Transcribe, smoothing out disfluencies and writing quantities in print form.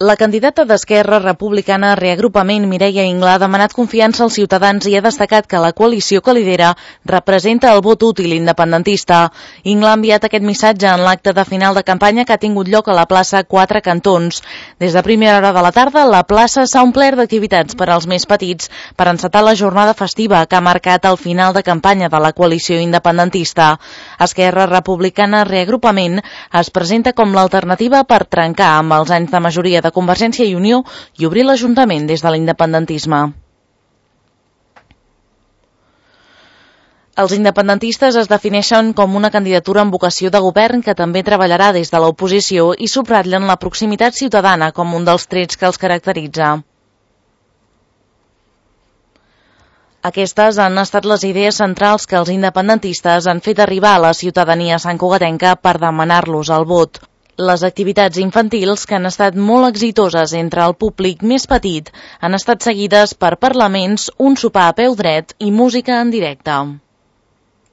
La candidata d'Esquerra Republicana Reagrupament, Mireia Ingla, ha demanat confiança als ciutadans i ha destacat que la coalició que lidera representa el vot útil independentista. Ingla ha enviat aquest missatge en l'acte de final de campanya que ha tingut lloc a la plaça Quatre Cantons. Des de primera hora de la tarda, la plaça s'ha omplert d'activitats per als més petits per encetar la jornada festiva que ha marcat el final de campanya de la coalició independentista. Esquerra Republicana Reagrupament es presenta com l'alternativa per trencar amb els anys de majoria de Convergència i Unió i obrir l'Ajuntament des de l'independentisme. Els independentistes es defineixen com una candidatura amb vocació de govern que també treballarà des de l'oposició i subratllen la proximitat ciutadana com un dels trets que els caracteritza. Aquestes han estat les idees centrals que els independentistes han fet arribar a la ciutadania santcugatenca per demanar-los el vot. Les activitats infantils, que han estat molt exitoses entre el públic més petit, han estat seguides per parlaments, un sopar a peu dret i música en directe.